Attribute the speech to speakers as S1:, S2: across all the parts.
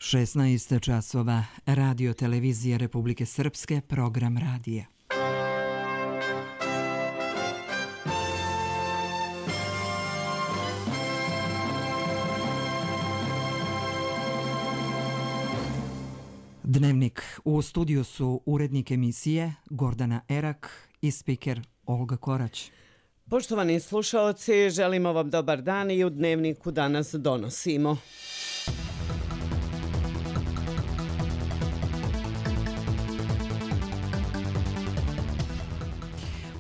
S1: 16 časova, Radio televizija Republike Srpske, program radija. Dnevnik. U studiju su urednik emisije Gordana Erak i spiker Olga Korać.
S2: Poštovani slušaoci, želimo vam dobar dan i u Dnevniku danas donosimo.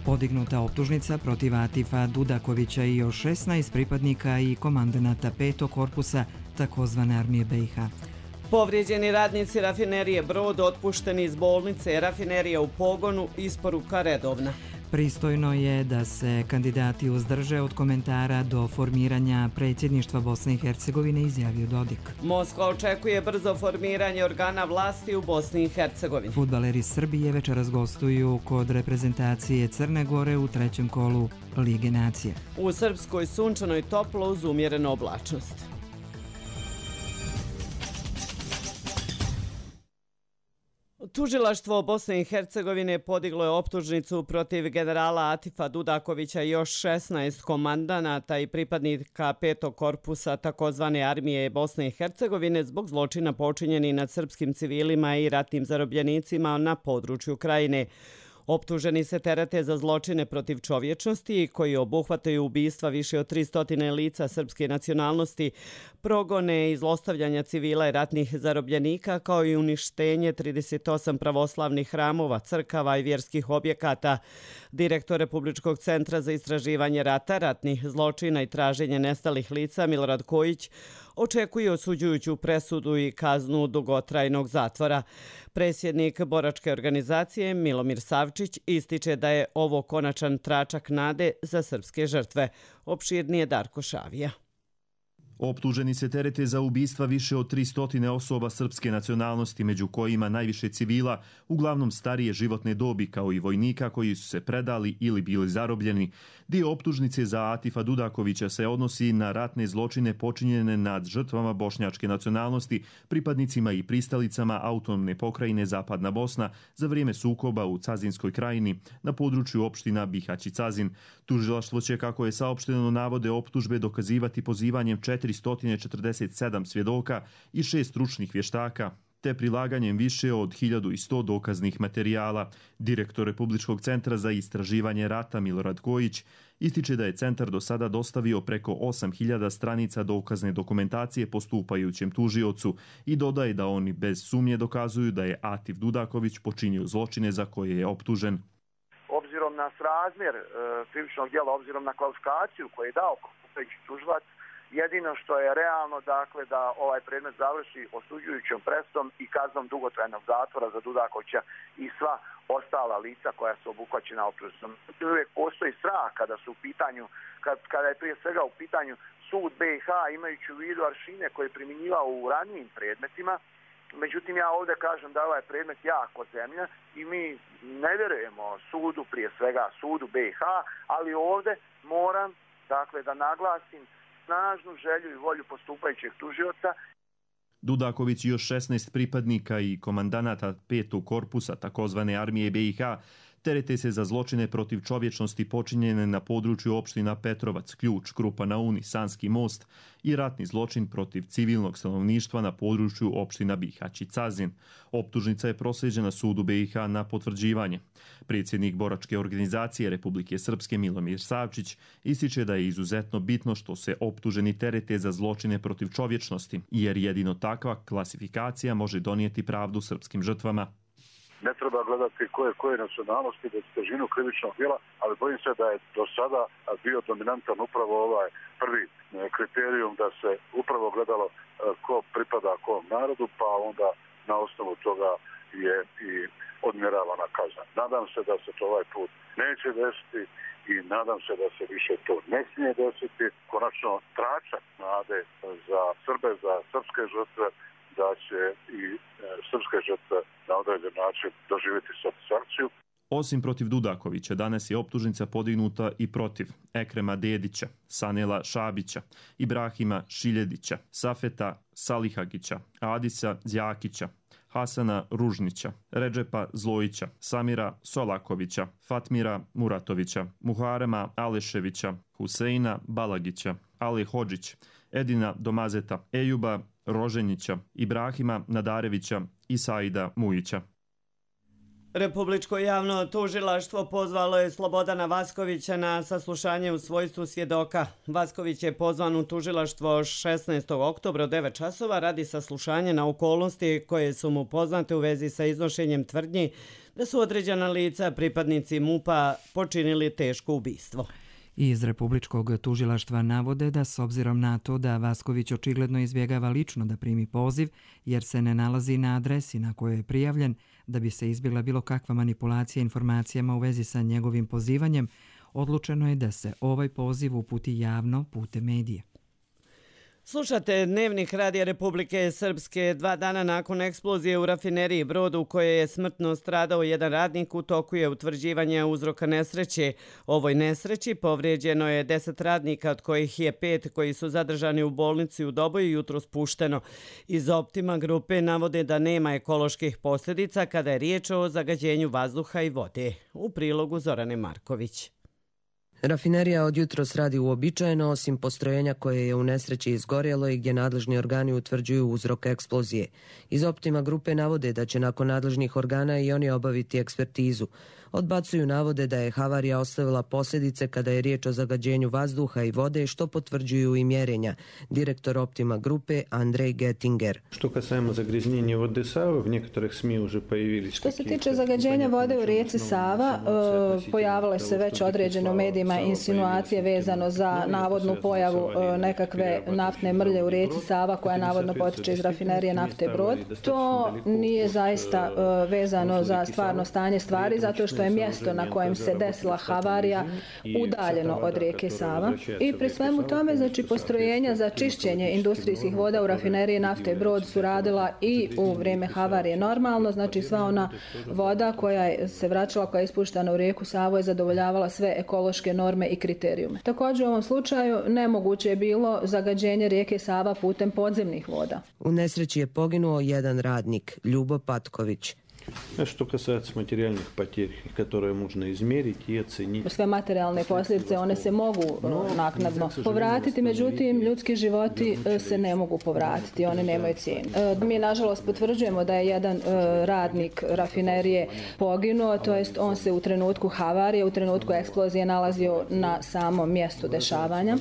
S1: Podignuta optužnica protiv Atifa Dudakovića i još 16 pripadnika i komandanata 5. korpusa takozvane armije BiH.
S2: Povrijeđeni radnici rafinerije Brod otpušteni iz bolnice, rafinerija u pogonu, isporuka redovna.
S1: Pristojno je da se kandidati uzdrže od komentara do formiranja predsjedništva Bosne i Hercegovine, izjavio Dodik.
S2: Moskva očekuje brzo formiranje organa vlasti u Bosni i Hercegovini.
S1: Fudbaleri Srbije večeras gostuju kod reprezentacije Crne Gore u trećem kolu Lige nacija.
S2: U Srpskoj sunčano i toplo uz umjerenu oblačnost. Tužilaštvo Bosne i Hercegovine podiglo je optužnicu protiv generala Atifa Dudakovića i još 16 komandanata i pripadnika 5. korpusa takozvane armije Bosne i Hercegovine zbog zločina počinjeni nad srpskim civilima i ratnim zarobljenicima na području Krajine. Optuženi se terete za zločine protiv čovječnosti koji obuhvataju ubistva više od 300 lica srpske nacionalnosti, progone i zlostavljanja civila i ratnih zarobljenika, kao i uništenje 38 pravoslavnih hramova, crkava i vjerskih objekata. Direktor Republičkog centra za istraživanje rata, ratnih zločina i traženje nestalih lica Milorad Kojić očekuje osuđujuću presudu i kaznu dugotrajnog zatvora. Predsjednik boračke organizacije Milomir Savčić ističe da je ovo konačan tračak nade za srpske žrtve. Opširnije Darko Šavija.
S3: Optuženi se terete za ubistva više od 300 osoba srpske nacionalnosti, među kojima najviše civila, uglavnom starije životne dobi, kao i vojnika koji su se predali ili bili zarobljeni. Dio optužnice za Atifa Dudakovića se odnosi na ratne zločine počinjene nad žrtvama bošnjačke nacionalnosti, pripadnicima i pristalicama autonomne pokrajine Zapadna Bosna za vrijeme sukoba u Cazinskoj krajini na području opština Bihać i Cazin. Tužilaštvo će, kako je saopšteno, navode optužbe dokazivati pozivanjem 447 svjedoka i 6 stručnih vještaka, te prilaganjem više od 1100 dokaznih materijala. Direktor Republičkog centra za istraživanje rata Milorad Kojić ističe da je centar do sada dostavio preko 8000 stranica dokazne dokumentacije postupajućem tužiocu i dodaje da oni bez sumnje dokazuju da je Atif Dudaković počinio zločine za koje je optužen.
S4: Obzirom na srazmjer krivičnog djela, obzirom na kvalifikaciju koju je dao tužilac, jedino što je realno, dakle, da ovaj predmet završi osuđujućom presudom i kaznom dugotrajnog zatvora za Dudakovića i sva ostala lica koja su obuhvaćena optužnicom. Uvijek postoji strah kada su u pitanju, kada je prije svega u pitanju sud BiH, imajući u vidu aršine koje je primjenjivao u ranijim predmetima. Međutim, ja ovdje kažem da je ovaj predmet jako zemlja i mi ne vjerujemo sudu, prije svega sudu BiH, ali ovdje moram, dakle, da naglasim snažnu želju i volju postupajućeg tužioca.
S3: Dudaković i još 16 pripadnika i komandanata 5. korpusa takozvane armije BiH terete se za zločine protiv čovječnosti počinjene na području opština Petrovac, Ključ, Krupa na Uni, Sanski most i ratni zločin protiv civilnog stanovništva na području opština Bihać i Cazin. Optužnica je proslijeđena sudu BiH na potvrđivanje. Predsjednik boračke organizacije Republike Srpske Milomir Savčić ističe da je izuzetno bitno što se optuženi terete za zločine protiv čovječnosti, jer jedino takva klasifikacija može donijeti pravdu srpskim žrtvama.
S5: Ne treba gledati koje nacionalnosti, da težinu krivičnog djela, ali bojim se da je do sada bio dominantan upravo ovaj prvi kriterijum da se upravo gledalo ko pripada kom narodu, pa onda na osnovu toga je i odmjeravana kazna. Nadam se da se to ovaj put neće desiti i nadam se da se više to ne smije desiti. Konačno tračak nade za Srbe, za srpske žrtve, da će i srpske žrtve na određen način doživjeti satisfakciju.
S3: Osim protiv Dudakovića, danas je optužnica podignuta i protiv Ekrema Dedića, Sanela Šabića, Ibrahima Šiljedića, Safeta Salihagića, Adisa Zjakića, Hasana Ružnića, Redžepa Zlojića, Samira Solakovića, Fatmira Muratovića, Muharema Aleševića, Huseina Balagića, Ali Hodžić, Edina Domazeta, Ejuba Roženjića, Ibrahima Nadarevića i Saida Mujića.
S2: Republičko javno tužilaštvo pozvalo je Slobodana Vaskovića na saslušanje u svojstvu svjedoka. Vasković je pozvan u tužilaštvo 16. oktobra u 9 časova radi saslušanja na okolnosti koje su mu poznate u vezi sa iznošenjem tvrdnji da su određena lica, pripadnici MUP-a, počinili teško ubistvo.
S1: Iz Republičkog tužilaštva navode da s obzirom na to da Vasković očigledno izbjegava lično da primi poziv jer se ne nalazi na adresi na kojoj je prijavljen, da bi se izbjegla bilo kakva manipulacija informacijama u vezi sa njegovim pozivanjem, odlučeno je da se ovaj poziv uputi javno putem medija.
S2: Slušate Dnevnik Radija Republike Srpske. 2 dana nakon eksplozije u rafineriji Brod u kojoj je smrtno stradao jedan radnik, u toku je utvrđivanje uzroka nesreće. Ovoj nesreći povrijeđeno je 10 radnika, od kojih je 5 koji su zadržani u bolnici u Doboju jutros pušteno. Iz Optima grupe navode da nema ekoloških posljedica kada je riječ o zagađenju vazduha i vode. U prilogu Zorane Marković.
S6: Rafinerija od jutros radi uobičajeno, osim postrojenja koje je u nesreći izgorjelo i gdje nadležni organi utvrđuju uzrok eksplozije. Iz Optima grupe navode da će nakon nadležnih organa i oni obaviti ekspertizu. Odbacuju navode da je havarija ostavila posljedice kada je riječ o zagađenju vazduha i vode, što potvrđuju i mjerenja. Direktor Optima grupe Andrej Gettinger.
S7: Što se tiče zagađenja vode u rijeci Sava, pojavile se već određene u medijima insinuacije vezano za navodnu pojavu nekakve naftne mrlje u rijeci Sava koja navodno potiče iz rafinerije nafte Brod. To nije zaista vezano za stvarno stanje stvari, zato što je mjesto na kojem se desila havarija udaljeno od rijeke Sava. I pri svemu tome, znači, postrojenja za čišćenje industrijskih voda u rafineriji nafte Brod su radila i u vrijeme havarije normalno, znači sva ona voda koja se vraćala, koja je ispuštana u rijeku Savu je zadovoljavala sve ekološke norme i kriterijume. Također u ovom slučaju nemoguće je bilo zagađenje rijeke Sava putem podzemnih voda.
S6: U nesreći je poginuo jedan radnik, Ljubo Patković.
S8: Što касается материальных потерь, которые можно измерить и оценить.
S7: Sve materijalne posljedice, one se mogu naknadno povratiti, međutim ljudski životi se ne mogu povratiti, one nemaju cijenu. Mi nažalost potvrđujemo da je jedan radnik rafinerije poginuo, to jest on se u trenutku havarije, u trenutku eksplozije nalazio na samom mjestu dešavanja.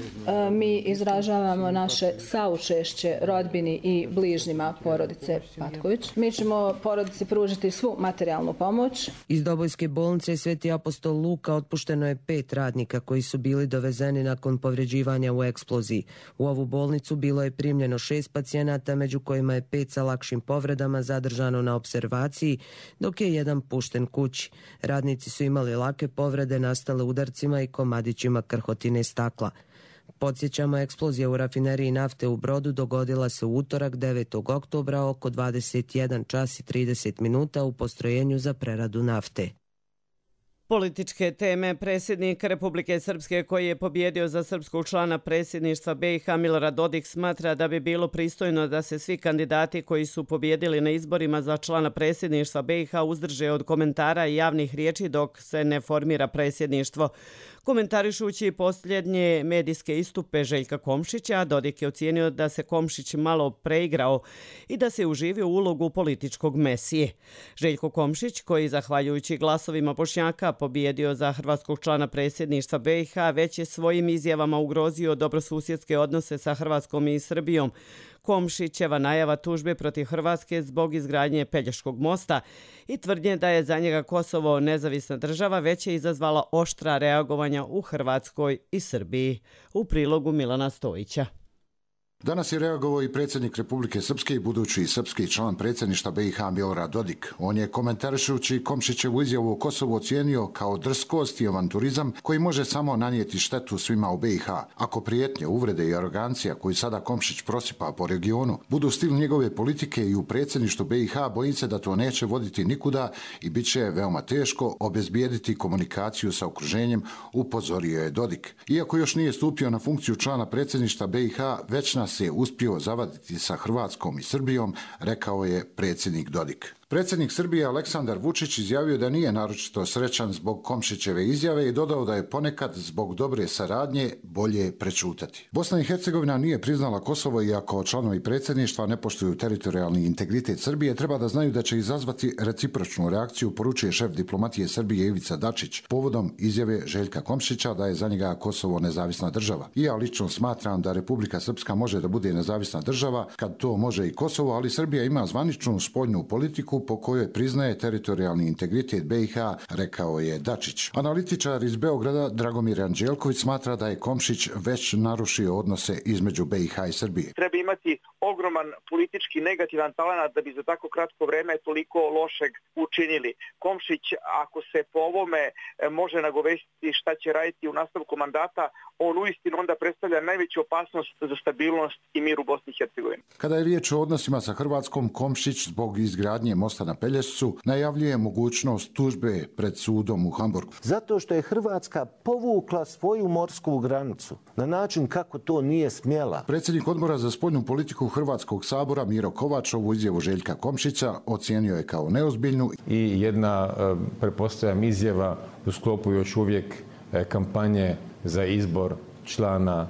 S7: Mi izražavamo naše saučešće rodbini i bližnjima porodice Patković. Mi ćemo porodici pružiti svu materijalnu pomoć.
S6: Iz Dobojske bolnice Sveti apostol Luka otpušteno je 5 radnika koji su bili dovezeni nakon povređivanja u eksploziji. U ovu bolnicu bilo je primljeno 6 pacijenata, među kojima je 5 sa lakšim povredama zadržano na observaciji, dok je jedan pušten kući. Radnici su imali lake povrede nastale udarcima i komadićima krhotine stakla. Podsjećamo, eksplozija u rafineriji nafte u Brodu dogodila se u utorak 9. oktobra oko 21 čas i 30 minuta u postrojenju za preradu nafte.
S2: Političke teme. Predsjednik Republike Srpske koji je pobjedio za srpskog člana predsjedništva BiH Milorad Dodik smatra da bi bilo pristojno da se svi kandidati koji su pobjedili na izborima za člana predsjedništva BiH uzdrže od komentara i javnih riječi dok se ne formira predsjedništvo. Komentarišući posljednje medijske istupe Željka Komšića, Dodik je ocijenio da se Komšić malo preigrao i da se uživio u ulogu političkog mesije. Željko Komšić, koji zahvaljujući glasovima Bošnjaka pobjedio za hrvatskog člana predsjedništva BiH, već je svojim izjavama ugrozio dobrosusjedske odnose sa Hrvatskom i Srbijom. Komšićeva najava tužbe protiv Hrvatske zbog izgradnje Pelješkog mosta i tvrdnje da je za njega Kosovo nezavisna država već je izazvala oštra reagovanja u Hrvatskoj i Srbiji. U prilogu Milana Stojića.
S9: Danas je reagovao i predsjednik Republike Srpske i budući srpski član predsjedništva BiH Milorad Dodik. On je komentarišući Komšićevu izjavu o Kosovu ocijenio kao drskost i avanturizam koji može samo nanijeti štetu svima u BiH. Ako prijetnje, uvrede i arogancija koju sada Komšić prosipa po regionu budu stil njegove politike i u predsjedništvu BiH, bojim se da to neće voditi nikuda i bit će veoma teško obezbijediti komunikaciju sa okruženjem, upozorio je Dodik. Iako još nije stupio na funkciju člana predsjedništva BiH, već nas se uspio zavaditi sa Hrvatskom i Srbijom, rekao je predsjednik Dodik. Predsjednik Srbije Aleksandar Vučić izjavio da nije naročito srećan zbog Komšićeve izjave i dodao da je ponekad zbog dobre saradnje bolje prečutati. Bosna i Hercegovina nije priznala Kosovo, iako članovi predsjedništva ne poštuju teritorijalni integritet Srbije, treba da znaju da će izazvati recipročnu reakciju, poručuje šef diplomatije Srbije Ivica Dačić povodom izjave Željka Komšića da je za njega Kosovo nezavisna država. I ja lično smatram da Republika Srpska može da bude nezavisna država kad to može i Kosovo, ali Srbija ima zvaničnu spoljnu politiku po kojoj priznaje teritorijalni integritet BiH, rekao je Dačić. Analitičar iz Beograda Dragomir Anđelković smatra da je Komšić već narušio odnose između BiH i Srbije.
S10: Treba imati ogroman politički negativan talenat da bi za tako kratko vreme toliko lošeg učinili. Komšić, ako se po ovome može nagovestiti šta će raditi u nastavku mandata, on uistinu onda predstavlja najveću opasnost za stabilnost i mir u Bosni i Hercegovini.
S9: Kada je riječ o odnosima sa Hrvatskom, Komšić zbog izgradnje mosta na Pelješcu najavljuje mogućnost tužbe pred sudom u Hamburgu.
S11: Zato što je Hrvatska povukla svoju morsku granicu na način kako to nije smjela.
S9: Predsjednik Odbora za spoljnu politiku Hrvatskog sabora Miro Kovač ovu izjavu Željka Komšića ocijenio je kao neozbiljnu.
S12: I jedna, pretpostavljam, izjava u sklopu još uvijek kampanje za izbor člana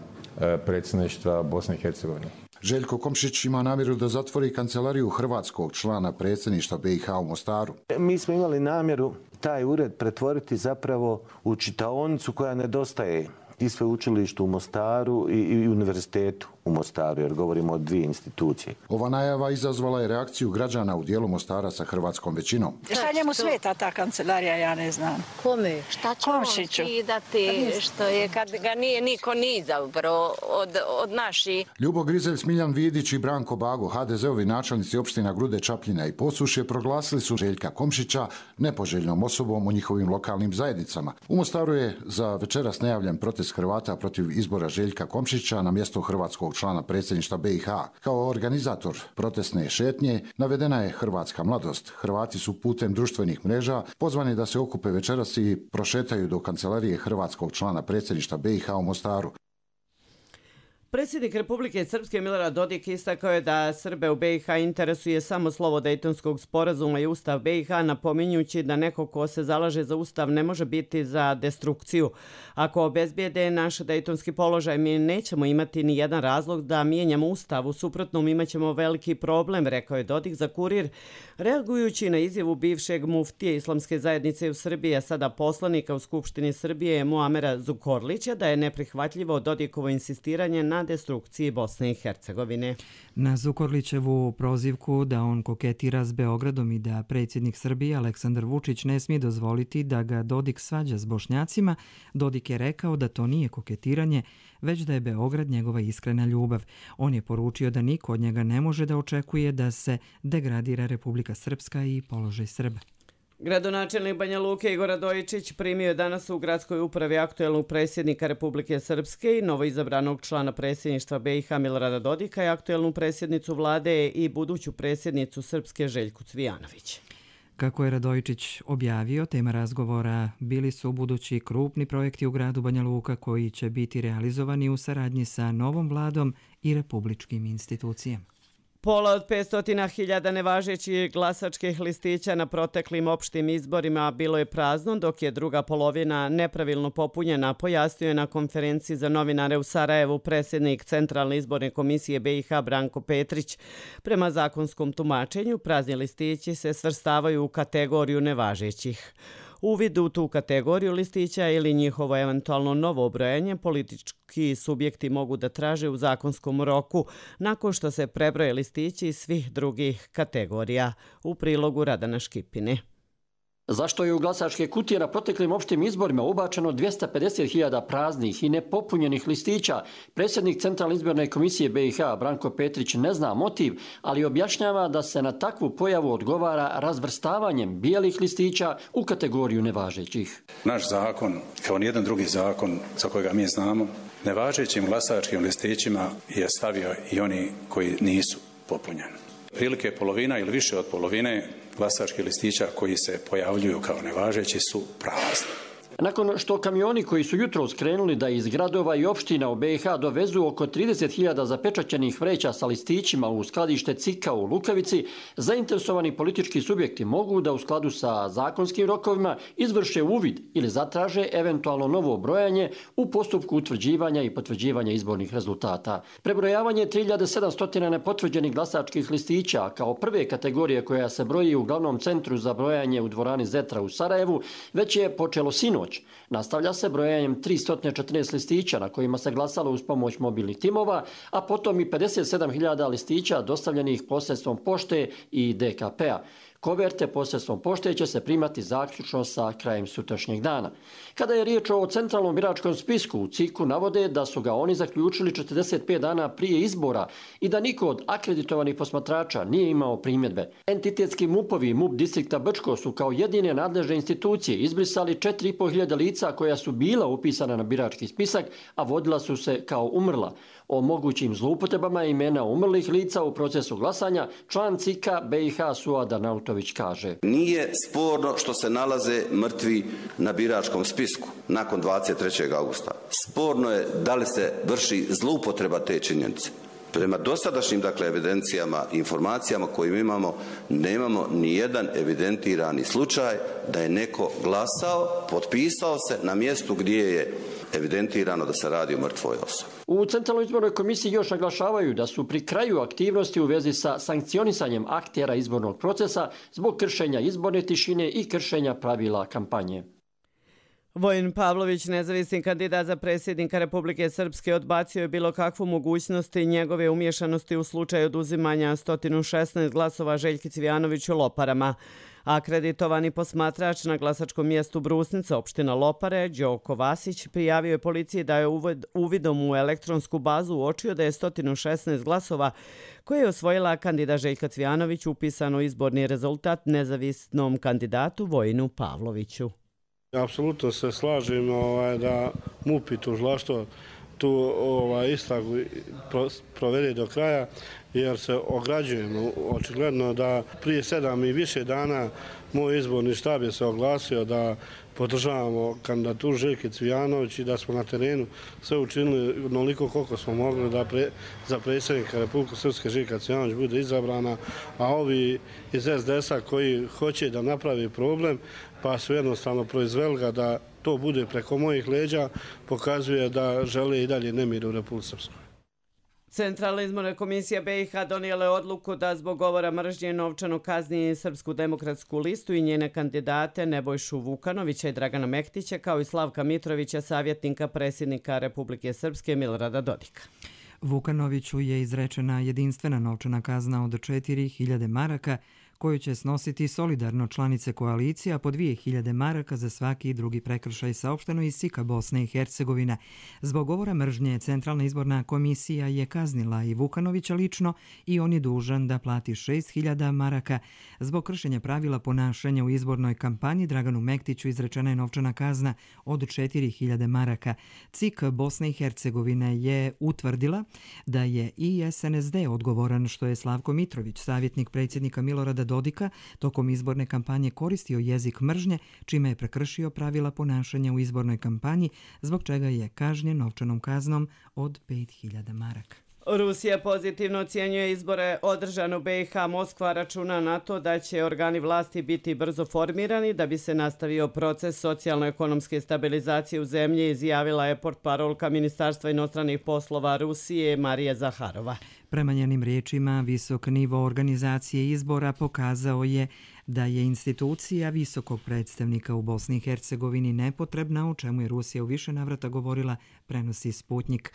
S12: predsjedništva Bosne i Hercegovine.
S9: Željko Komšić ima namjeru da zatvori kancelariju hrvatskog člana predsjedništva BiH u Mostaru.
S11: Mi smo imali namjeru taj ured pretvoriti zapravo u čitaonicu koja nedostaje i sveučilištu u Mostaru i univerzitetu u Mostaru, jer govorimo o dvije institucije.
S9: Ova najava izazvala je reakciju građana u dijelu Mostara sa hrvatskom većinom.
S13: Šta njemu smeta ta kancelarija, ja ne znam.
S14: Kome? Šta će on skidati, što je kad ga nije niko ni izabrao od naših?
S9: Ljubo Grizelj, Smiljan Vidić i Branko Bago, HDZ-ovi načelnici opština Grude, Čapljina i Posušje, proglasili su Željka Komšića nepoželjnom osobom u njihovim lokalnim zajednicama. U Mostaru je za večeras najavljen protest Hrvata protiv izbora Željka Komšića na mjesto hrvatskog člana predsjedništva BiH. Kao organizator protestne šetnje navedena je Hrvatska mladost. Hrvati su putem društvenih mreža pozvani da se okupe večeras i prošetaju do kancelarije hrvatskog člana predsjedništva BiH u Mostaru.
S2: Predsjednik Republike Srpske Milorad Dodik istakao je da Srbe u BiH interesuje samo slovo Dejtonskog sporazuma i Ustav BiH, napominjući da neko ko se zalaže za Ustav ne može biti za destrukciju. Ako obezbijede naš dejtonski položaj, mi nećemo imati ni jedan razlog da mijenjamo Ustav, u suprotnom imaćemo veliki problem, rekao je Dodik za Kurir, reagujući na izjavu bivšeg muftije Islamske zajednice u Srbiji, a sada poslanika u Skupštini Srbije Muamera Zukorlića, da je neprihvatljivo Dodikovo insistiranje na destrukciji Bosne i Hercegovine.
S1: Na Zukorlićevu prozivku da on koketira s Beogradom i da predsjednik Srbije Aleksandar Vučić ne smije dozvoliti da ga Dodik svađa s Bošnjacima, Dodik je rekao da to nije koketiranje, već da je Beograd njegova iskrena ljubav. On je poručio da niko od njega ne može da očekuje da se degradira Republika Srpska i položaj Srba.
S2: Gradonačelnik Banja Luke Igor Radojičić primio je danas u gradskoj upravi aktuelnog predsjednika Republike Srpske i novoizabranog člana predsjedništva BiH Milorada Dodika i aktuelnu predsjednicu vlade i buduću predsjednicu Srpske Željku Cvijanović.
S1: Kako je Radojičić objavio, tema razgovora bili su budući krupni projekti u gradu Banja Luka koji će biti realizovani u saradnji sa novom vladom i republičkim institucijama.
S2: Pola od 500.000 nevažećih glasačkih listića na proteklim opštim izborima bilo je prazno, dok je druga polovina nepravilno popunjena, pojasnio je na konferenciji za novinare u Sarajevu predsjednik Centralne izborne komisije BiH Branko Petrić. Prema zakonskom tumačenju, prazni listići se svrstavaju u kategoriju nevažećih. Uvid u tu kategoriju listića ili njihovo eventualno novo obrojanje politički subjekti mogu da traže u zakonskom roku nakon što se prebroje listići iz svih drugih kategorija. U prilogu Radana Škipine.
S15: Zašto je u glasačke kutije na proteklim opštim izborima ubačeno 250.000 praznih i nepopunjenih listića? Predsjednik Centralne izborne komisije BiH Branko Petrić ne zna motiv, ali objašnjava da se na takvu pojavu odgovara razvrstavanjem bijelih listića u kategoriju nevažećih.
S16: Naš zakon, kao nijedan drugi zakon za kojega mi znamo, nevažećim glasačkim listićima je stavio i oni koji nisu popunjeni. Prilike polovina ili više od polovine glasačkih listića koji se pojavljuju kao nevažeći su prazni.
S15: Nakon što kamioni koji su jutros krenuli da iz gradova i opština u BiH dovezu oko 30.000 zapečaćenih vreća sa listićima u skladište CIK-a u Lukavici, zainteresovani politički subjekti mogu da u skladu sa zakonskim rokovima izvrše uvid ili zatraže eventualno novo brojanje u postupku utvrđivanja i potvrđivanja izbornih rezultata. Prebrojavanje 3700 nepotvrđenih glasačkih listića kao prve kategorije koja se broji u glavnom centru za brojanje u dvorani Zetra u Sarajevu već je počelo sinoć. Nastavlja se brojanjem 314 listića na kojima se glasalo uz pomoć mobilnih timova, a potom i 57.000 listića dostavljenih posredstvom pošte i DKP-a. Koverte posredstvom pošte će se primati zaključno sa krajem sutrašnjeg dana. Kada je riječ o centralnom biračkom spisku, u CIK-u navode da su ga oni zaključili 45 dana prije izbora i da niko od akreditovanih posmatrača nije imao primjedbe. Entitetski MUP-ovi i MUP distrikta Brčko su kao jedine nadležne institucije izbrisali 4.500 lica koja su bila upisana na birački spisak, a vodila su se kao umrla. O mogućim zloupotrebama imena umrlih lica u procesu glasanja član CIK-a BiH Suad Arnautović kaže:
S17: Nije sporno što se nalaze mrtvi na biračkom spisku nakon 23. augusta. Sporno je da li se vrši zloupotreba te činjenice. Prema dosadašnjim evidencijama i informacijama koje imamo, nemamo ni jedan evidentirani slučaj da je neko glasao, potpisao se na mjestu gdje je evidentirano da se radi o mrtvoj osobi.
S15: U Centralnoj izbornoj komisiji još naglašavaju da su pri kraju aktivnosti u vezi sa sankcionisanjem aktera izbornog procesa zbog kršenja izborne tišine i kršenja pravila kampanje.
S2: Vojin Pavlović, nezavisni kandidat za predsjednika Republike Srpske, odbacio je bilo kakvu mogućnost njegove umješanosti u slučaju oduzimanja 116 glasova Željki Cvijanoviću Loparama. Akreditovani posmatrač na glasačkom mjestu Brusnica, opština Lopare, Đoko Vasić, prijavio je policiji da je uvidom u elektronsku bazu uočio da je 116 glasova koje je osvojila kandidat Željka Cvijanović upisano izborni rezultat nezavisnom kandidatu Vojinu Pavloviću.
S18: Apsolutno se slažem da MUP i tužilaštvo tu istragu provede do kraja, jer se ograđujemo. Očigledno da prije 7 i više dana moj izborni štab je se oglasio da podržavamo kandidaturu Željke Cvijanović i da smo na terenu sve učinili onoliko koliko smo mogli da za predsjednika Republike Srpske Željka Cvijanović bude izabrana, a ovi iz SDS-a koji hoće da napravi problem pa su jednostavno proizveli ga da to bude preko mojih leđa, pokazuje da žele i dalje nemir u Republike Srpskoj.
S2: Centralna izborna komisija BiH donijela je odluku da zbog govora mržnje novčano kazni Srpsku demokratsku listu i njene kandidate Nebojšu Vukanovića i Dragana Mektića, kao i Slavka Mitrovića, savjetnika predsjednika Republike Srpske Milorada Dodika.
S1: Vukanoviću je izrečena jedinstvena novčana kazna od 4.000 maraka, koju će snositi solidarno članice koalicija, po 2.000 maraka za svaki drugi prekršaj, saopšteno iz CIK-a Bosne i Hercegovine. Zbog govora mržnje Centralna izborna komisija je kaznila i Vukanovića lično i on je dužan da plati 6.000 maraka. Zbog kršenja pravila ponašanja u izbornoj kampanji Draganu Mektiću izrečena je novčana kazna od 4.000 maraka. CIK Bosne i Hercegovine je utvrdila da je i SNSD odgovoran što je Slavko Mitrović, savjetnik predsjednika Milorada Dodika, tokom izborne kampanje koristio jezik mržnje, čime je prekršio pravila ponašanja u izbornoj kampanji, zbog čega je kažnjen novčanom kaznom od 5.000 maraka.
S2: Rusija pozitivno ocjenjuje izbore održane u BiH. Moskva računa na to da će organi vlasti biti brzo formirani da bi se nastavio proces socijalno-ekonomske stabilizacije u zemlji, izjavila je portparolka Ministarstva inostranih poslova Rusije Marija Zaharova.
S1: Prema njenim riječima, visok nivo organizacije izbora pokazao je da je institucija visokog predstavnika u Bosni i Hercegovini nepotrebna, o čemu je Rusija u više navrata govorila, prenosi Sputnik.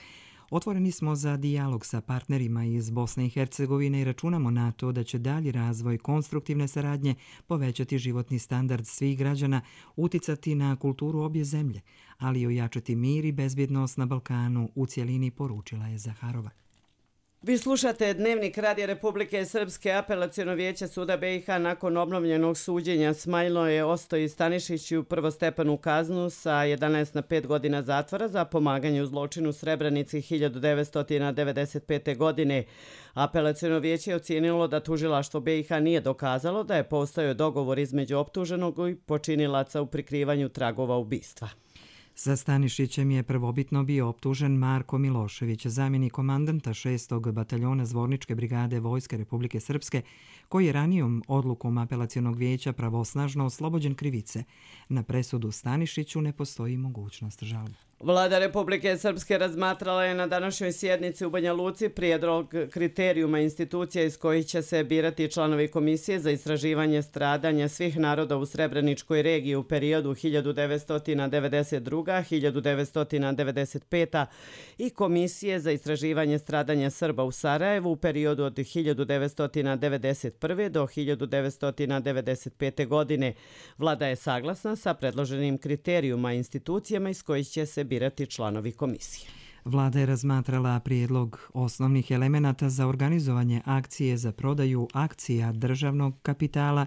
S1: Otvoreni smo za dijalog sa partnerima iz Bosne i Hercegovine i računamo na to da će dalji razvoj konstruktivne saradnje povećati životni standard svih građana, uticati na kulturu obje zemlje, ali i ojačati mir i bezbjednost na Balkanu u cjelini, poručila je Zaharova.
S2: Vi slušate Dnevnik Radija Republike Srpske. Apelaciono vijeće suda BiH nakon obnovljenog suđenja Smajlo je Ostoji Stanišiću prvostepenu kaznu sa 11 na 5 godina zatvora za pomaganje u zločinu Srebrenici 1995. godine. Apelaciono vijeće je ocijenilo da tužilaštvo BiH nije dokazalo da je postojao dogovor između optuženog i počinilaca u prikrivanju tragova ubistva.
S1: Sa Stanišićem je prvobitno bio optužen Marko Milošević, zamjenik komandanta 6. bataljona Zvorničke brigade Vojske Republike Srpske, koji je ranijom odlukom apelacionog vijeća pravosnažno oslobođen krivice. Na presudu Stanišiću ne postoji mogućnost žalbe.
S2: Vlada Republike Srpske razmatrala je na današnjoj sjednici u Banja Luci prijedlog kriterijuma institucija iz kojih će se birati članovi komisije za istraživanje stradanja svih naroda u Srebreničkoj regiji u periodu 1992-1995 i komisije za istraživanje stradanja Srba u Sarajevu u periodu od 1991. do 1995. godine. Vlada je saglasna sa predloženim kriterijuma institucijama iz kojih će se birati članovi komisije.
S1: Vlada je razmatrala prijedlog osnovnih elemenata za organizovanje akcije za prodaju akcija državnog kapitala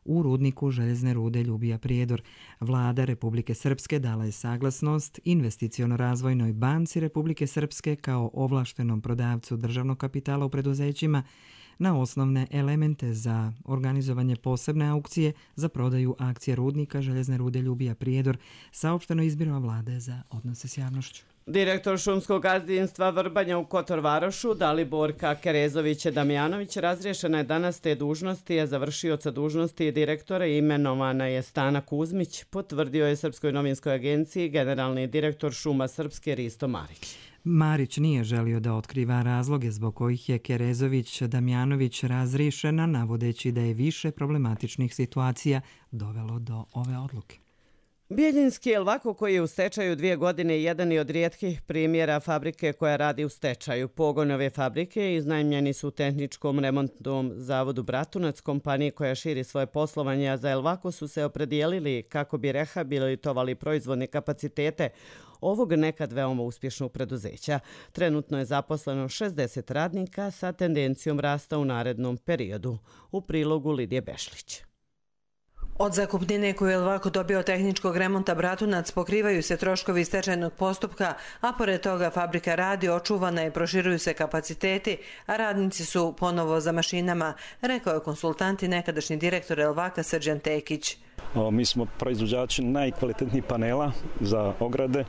S1: u rudniku željezne rude Ljubija Prijedor. Vlada Republike Srpske dala je saglasnost Investiciono-razvojnoj banci Republike Srpske kao ovlaštenom prodavcu državnog kapitala u preduzećima na osnovne elemente za organizovanje posebne aukcije za prodaju akcije rudnika željezne rude Ljubija Prijedor, saopšteno izbirova Vlade za odnose s javnošću.
S2: Direktor šumskog gazdinstva Vrbanja u Kotorvarošu, Daliborka Kerezović-Damjanović, razriješena je danas te dužnosti, a za vršioca dužnosti direktora imenovana je Stana Kuzmić, potvrdio je Srpskoj novinskoj agenciji generalni direktor Šuma Srpske Risto Marić.
S1: Marić nije želio da otkriva razloge zbog kojih je Kerezović-Damjanović razriješena, navodeći da je više problematičnih situacija dovelo do ove odluke.
S2: Bijeljinski Elvako, koji je u stečaju 2 godine, jedan je od rijetkih primjera fabrike koja radi u stečaju. Pogon ove fabrike iznajmljeni su tehničkom remontnom zavodu Bratunac, kompaniji koja širi svoje poslovanje, a za Elvako su se opredijelili kako bi rehabilitovali proizvodne kapacitete ovog nekad veoma uspješnog preduzeća. Trenutno je zaposleno 60 radnika sa tendencijom rasta u narednom periodu. U prilogu Lidije Bešlić.
S19: Od zakupnine koju je Elvako dobio tehničkog remonta Bratunac pokrivaju se troškovi stečajnog postupka, a pored toga fabrika radi, očuvana i proširuju se kapaciteti, a radnici su ponovo za mašinama, rekao je konsultant i nekadašnji direktor Elvaka Srđan Tekić.
S20: Mi smo proizvođači najkvalitetnijih panela za ograde,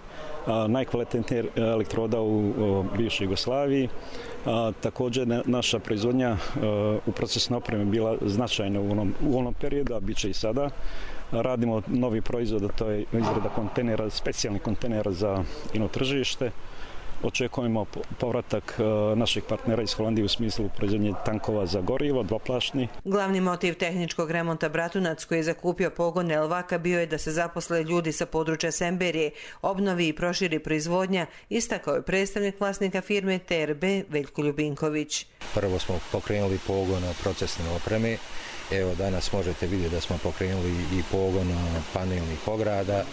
S20: najkvalitetnijih elektroda u bivšoj Jugoslaviji. Također naša proizvodnja u procesnoj opremi bila značajna u onom periodu, a bit će i sada. Radimo novi proizvod, a to je izrada kontejnera, specijalnih kontejnera za ino tržište. Očekujemo povratak naših partnera iz Holandije u smislu proizvodnje tankova za gorivo, dvoplašni.
S19: Glavni motiv tehničkog remonta Bratunac, koji je zakupio pogone Elvaka, bio je da se zaposle ljudi sa područja Semberije, obnovi i proširi proizvodnja, istakao je predstavnik vlasnika firme TRB Veljko Ljubinković.
S21: Prvo smo pokrenuli pogon procesne opreme. Evo danas možete vidjeti da smo pokrenuli i pogon panelnih ograda,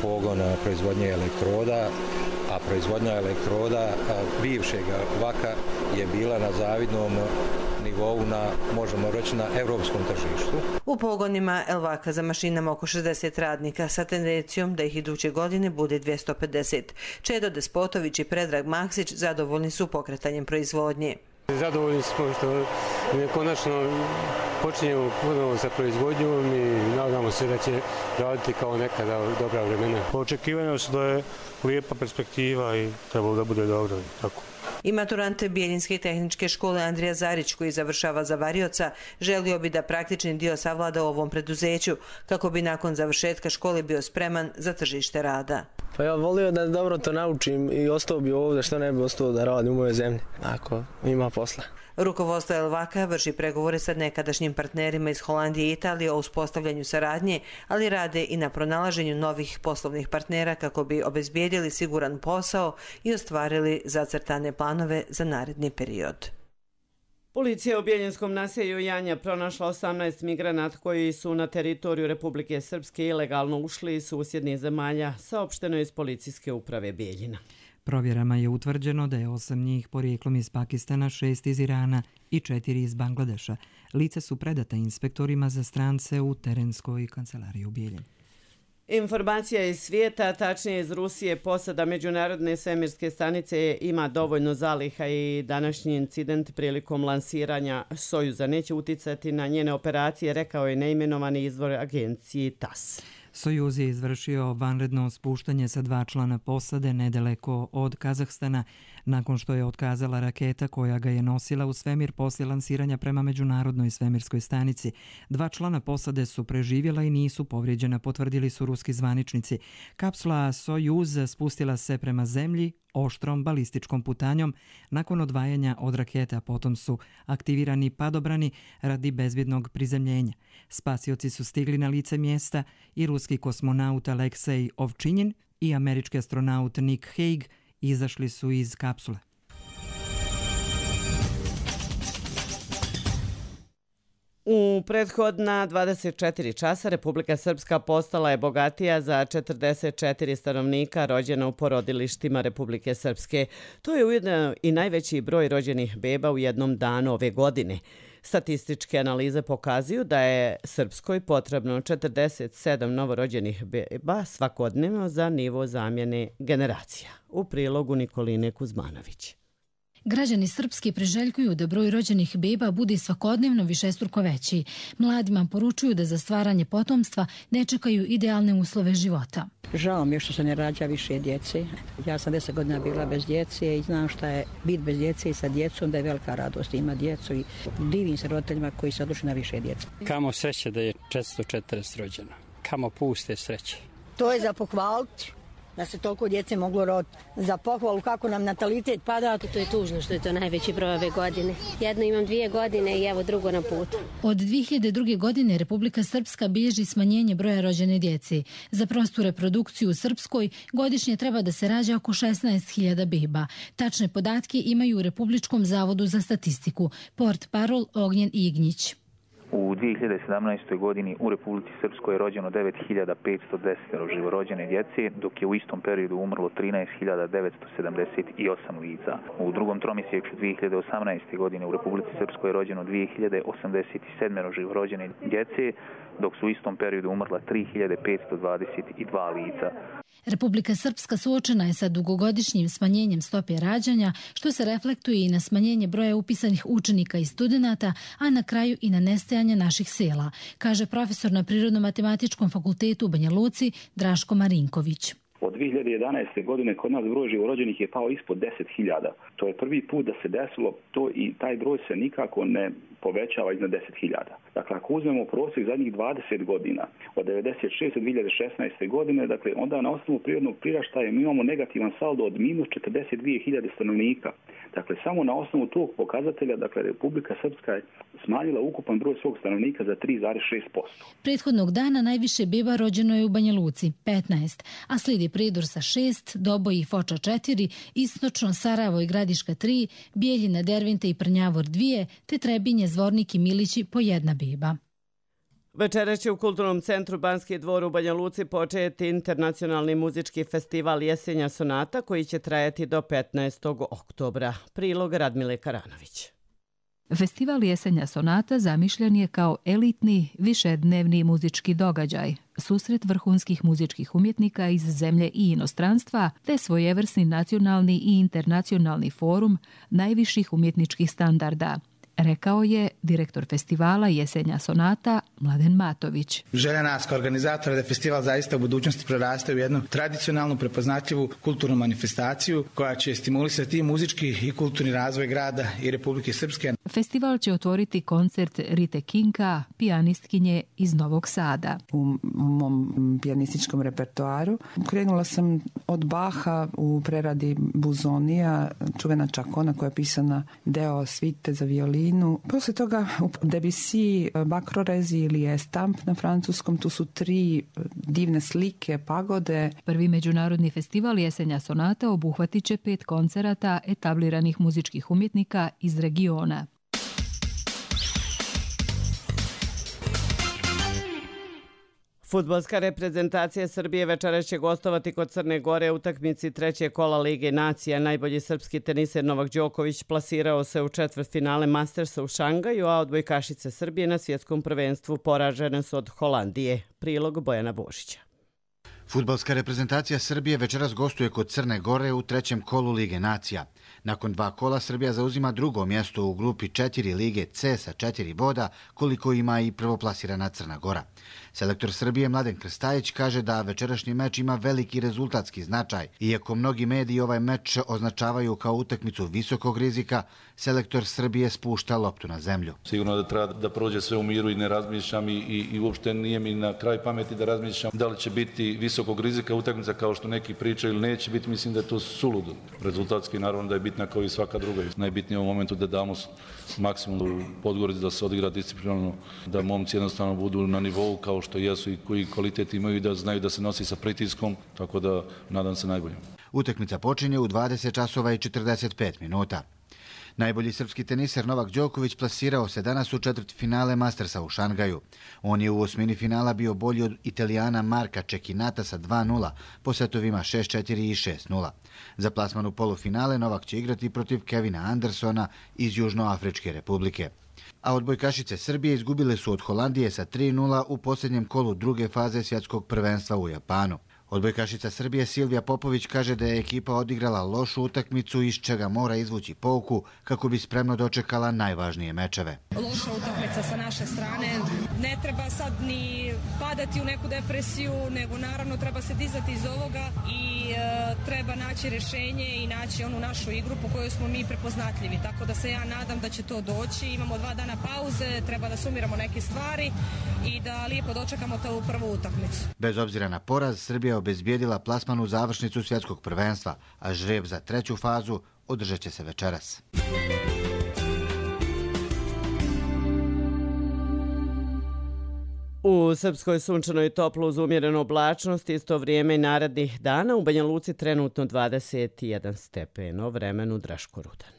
S21: pogon proizvodnje elektroda, a proizvodnja elektroda bivšeg Vaka je bila na zavidnom nivou možemo reći, na evropskom tržištu.
S19: U pogonima Elvaka za mašinama oko 60 radnika sa tendencijom da ih iduće godine bude 250. Čedo Despotović i Predrag Maksić zadovoljni su pokretanjem proizvodnje.
S22: Zadovoljni smo što konačno počinjemo ponovo sa proizvodnjom i nadamo se da će raditi kao nekada dobra vremena. Očekivanja su da je lijepa perspektiva i trebalo da bude dobro. Tako.
S19: I maturante Bijeljinske tehničke škole Andrija Zarić, koji završava za varioca, želio bi da praktični dio savlada u ovom preduzeću kako bi nakon završetka škole bio spreman za tržište rada.
S4: Pa ja volio da dobro to naučim i ostao bi ovdje, što ne bi ostao da radim u mojoj zemlji, ako ima posla.
S19: Rukovodstvo Elvaka vrši pregovore sa nekadašnjim partnerima iz Holandije i Italije o uspostavljanju saradnje, ali rade i na pronalaženju novih poslovnih partnera kako bi obezbijedili siguran posao i ostvarili zacrtane planove za naredni period.
S2: Policija u Bjeljenskom naselju Janja pronašla 18 migranata koji su na teritoriju Republike Srpske ilegalno ušli iz susjednih zemalja, saopšteno iz policijske uprave Bijeljina.
S1: Provjerama je utvrđeno da je 8 njih porijeklom iz Pakistana, 6 iz Irana i 4 iz Bangladeša. Lica su predata inspektorima za strance u terenskoj kancelariji u Bijeljini.
S2: Informacija iz svijeta, tačnije iz Rusije, posada Međunarodne svemirske stanice ima dovoljno zaliha i današnji incident prilikom lansiranja Sojuza neće uticati na njene operacije, rekao je neimenovani izvor agenciji TASS.
S1: Sojuz je izvršio vanredno spuštanje sa 2 člana posade nedaleko od Kazahstana nakon što je otkazala raketa koja ga je nosila u svemir poslije lansiranja prema Međunarodnoj svemirskoj stanici. 2 člana posade su preživjela i nisu povrijeđena, potvrdili su ruski zvaničnici. Kapsula Sojuz spustila se prema zemlji oštrom balističkom putanjom nakon odvajanja od raketa, potom su aktivirani padobrani radi bezbjednog prizemljenja. Spasioci su stigli na lice mjesta i ruski kosmonaut Aleksej Ovčinjin i američki astronaut Nick Hague izašli su iz kapsule.
S2: U prethodna 24 časa Republika Srpska postala je bogatija za 44 stanovnika rođena u porodilištima Republike Srpske. To je ujedno i najveći broj rođenih beba u jednom danu ove godine. Statističke analize pokazuju da je Srpskoj potrebno 47 novorođenih beba svakodnevno za nivo zamjene generacija. U prilogu Nikoline Kuzmanović.
S5: Građani Srpske priželjkuju da broj rođenih beba bude svakodnevno višestruko veći. Mladima poručuju da za stvaranje potomstva ne čekaju idealne uslove života.
S23: Žao mi je što se ne rađa više djece. Ja sam 10 godina bila bez djece i znam šta je biti bez djece i sa djecom, da je velika radost ima djecu i divim se roditeljima koji se odlučili na više djece.
S24: Kamo sreće da je 440 rođeno. Kamo puste sreće.
S25: To je za pohvaliti. Da se toliko djece moglo roditi. Za pohvalu kako nam natalitet pada.
S26: To je tužno što je to najveći broj ove godine. Jedno imam 2 godine i evo drugo na putu.
S5: Od 2002. godine Republika Srpska bilježi smanjenje broja rođene djece. Za prostu reprodukciju u Srpskoj godišnje treba da se rađa oko 16.000 beba. Tačne podatke imaju u Republičkom zavodu za statistiku. Port parol Ognjen Ignjić.
S27: U 2017. godini u Republici Srpskoj je rođeno 9.510 živorođene djece, dok je u istom periodu umrlo 13.978 lica. U drugom tromjesečju 2018. godine u Republici Srpskoj je rođeno 2.087 živorođene djece, dok su u istom periodu umrla 3.522 lica.
S5: Republika Srpska suočena je sa dugogodišnjim smanjenjem stope rađanja, što se reflektuje i na smanjenje broja upisanih učenika i studenata, a na kraju i na nestajanje naših sela, kaže profesor na Prirodno-matematičkom fakultetu u Banja Luci Draško Marinković.
S28: Od 2011. godine kod nas broj živorođenih je pao ispod 10.000. To je prvi put da se desilo to i taj broj se nikako ne povećava iznad 10.000. Dakle, ako uzmemo prosjek zadnjih 20 godina, od 96. do 2016. godine, dakle, onda na osnovu prirodnog priraštaja mi imamo negativan saldo od minus 42.000 stanovnika. Dakle, samo na osnovu tog pokazatelja, dakle, Republika Srpska je smanjila ukupan broj svog stanovnika za 3,6%.
S5: Prethodnog dana najviše beba rođeno je u Banja Luci, 15, a slijedi Prijedor sa 6, Doboj i Foča 4, Istočno Sarajevo i Gradiška 3, Bijeljina, Dervente i Prnjavor 2, te Trebinje, Zvornik i Milići po 1 beba.
S2: Večeras će u Kulturnom centru Banski dvor u Banja Luci početi internacionalni muzički festival Jesenja sonata koji će trajati do 15. oktobra. Prilog Radmile Karanović.
S29: Festival Jesenja sonata zamišljen je kao elitni, višednevni muzički događaj, susret vrhunskih muzičkih umjetnika iz zemlje i inostranstva, te svojevrsni nacionalni i internacionalni forum najviših umjetničkih standarda, rekao je direktor festivala Jesenja sonata Mladen Matović.
S30: Želja nas kao organizatora da festival zaista u budućnosti preraste u jednu tradicionalnu, prepoznatljivu kulturnu manifestaciju koja će stimulisati muzički i kulturni razvoj grada i Republike Srpske.
S29: Festival će otvoriti koncert Rite Kinka, pijanistkinje iz Novog Sada.
S3: U mom pijanističkom repertoaru krenula sam od Baha u preradi Buzonija, čuvena Čakona koja je pisana deo svite za violinu. Poslije toga Debussy, Bakrorezi ili Estamp na francuskom, tu su 3 divne slike, pagode.
S29: Prvi međunarodni festival Jesenja sonata obuhvatit će 5 koncerata etabliranih muzičkih umjetnika iz regiona.
S2: Fudbalska reprezentacija Srbije večeras će gostovati kod Crne Gore u utakmici 3. kola Lige nacija. Najbolji srpski teniser Novak Đoković plasirao se u četvrtfinale Mastersa u Šangaju, a odbojkašice Srbije na svjetskom prvenstvu poražene su od Holandije. Prilog Bojana Božića.
S6: Fudbalska reprezentacija Srbije večeras gostuje kod Crne Gore u 3. kolu Lige nacija. Nakon 2 kola Srbija zauzima drugo mjesto u grupi 4 Lige C sa 4 boda, koliko ima i prvoplasirana Crna Gora. Selektor Srbije Mladen Krstajić kaže da večerašnji meč ima veliki rezultatski značaj. Iako mnogi mediji ovaj meč označavaju kao utakmicu visokog rizika, selektor Srbije spušta loptu na zemlju.
S7: Sigurno da treba da prođe sve u miru i ne razmišljam i uopšte nije mi na kraj pameti da razmišljam da li će biti visokog rizika utakmica kao što neki pričaju ili neće biti. Mislim da je to suludo. Rezultatski naravno da je bitna kao i svaka druga. Najbitnije u momentu da damo maksimum u Podgorici, da se odigra disciplinarno, da momci jednostavno budu na nivou kao što jesu i koji kvalitet imaju i da znaju da se nosi sa pritiskom, tako da nadam se najbolje.
S6: Utakmica počinje u 20 časova i 45 minuta. Najbolji srpski teniser Novak Đoković plasirao se danas u četvrtfinale Mastersa u Šangaju. On je u osmini finala bio bolji od Italijana Marka Čekinata sa 2-0, po setovima 6-4 i 6-0. Za plasman u polufinale Novak će igrati protiv Kevina Andersona iz Južnoafričke republike. A odbojkašice Srbije izgubile su od Holandije sa 3-0 u posljednjem kolu druge faze svjetskog prvenstva u Japanu. Odbojkašica Srbije Silvija Popović kaže da je ekipa odigrala lošu utakmicu iz čega mora izvući pouku kako bi spremno dočekala najvažnije mečeve.
S8: Loša utakmica sa naše strane. Ne treba sad ni padati u neku depresiju, nego naravno treba se dizati iz ovoga i treba naći rješenje i naći onu našu igru po kojoj smo mi prepoznatljivi. Tako da se ja nadam da će to doći. Imamo 2 dana pauze, treba da sumiramo neke stvari i da lijepo dočekamo tu prvu utakmicu.
S6: Bez obzira na poraz, Srbija obezbijedila plasman u završnicu svjetskog prvenstva, a žreb za 3. fazu održat će se večeras.
S2: U Srpskoj sunčanoj toplo uz umjerenu oblačnost, isto vrijeme i narednih dana, u Banja Luci trenutno 21 stepeno, vremenu Draško Rudan.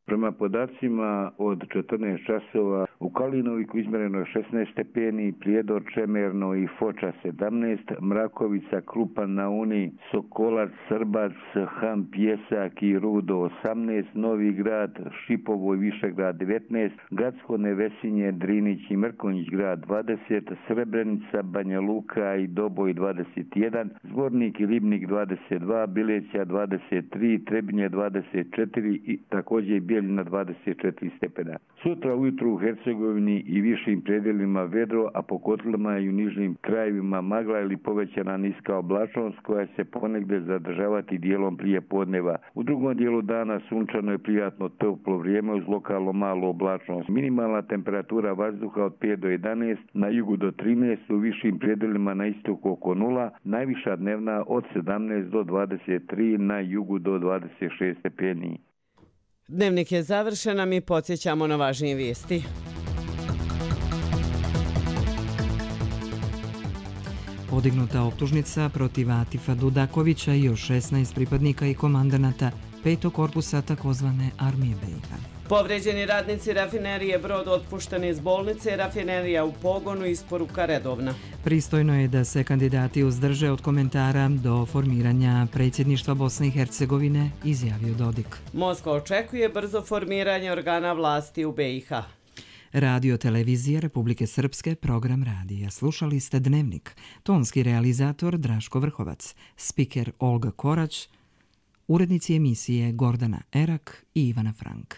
S9: Prema podacima od 14 časova u Kalinoviku izmjereno je 16 stepeni, Prijedor, Čemerno i Foča 17, Mrakovica, Krupan na Uni, Sokolac, Srbac, Ham, Pjesak i Rudo 18, Novi Grad, Šipovo i Višegrad 19, Gacko, Nevesinje, Drinić i Mrkonjić grad 20, Srebrenica, Banja Luka i Doboj 21, Zvornik i Ribnik 22, Bileća 23, Trebinje 24 i također na 24 stepena. Sutra ujutru u Hercegovini i višim predjelima vedro, a po kotlima i u nižnim krajevima magla ili povećana niska oblačnost koja se ponegde zadržavati dijelom prije podneva. U drugom dijelu dana sunčano je prijatno toplo vrijeme uz lokalno malu oblačnost. Minimalna temperatura vazduha od 5 do 11, na jugu do 13, u višim predjelima na istoku oko 0, najviša dnevna od 17 do 23, na jugu do 26 stepeni.
S2: Dnevnik je završen, a mi podsjećamo na važnije vijesti.
S1: Podignuta optužnica protiv Atifa Dudakovića i još 16 pripadnika i komandanata 5. korpusa takozvane armije BiH.
S2: Povređeni radnici rafinerije Brod otpušteni iz bolnice, rafinerija u pogonu, isporuka redovna.
S1: Pristojno je da se kandidati uzdrže od komentara do formiranja predsjedništva Bosne i Hercegovine, izjavio Dodik.
S2: Moskva očekuje brzo formiranje organa vlasti u BiH.
S1: Radio televizije Republike Srpske, program radija. Slušali ste Dnevnik. Tonski realizator Draško Vrhovac, spiker Olga Korać, urednici emisije Gordana Erak i Ivana Frank.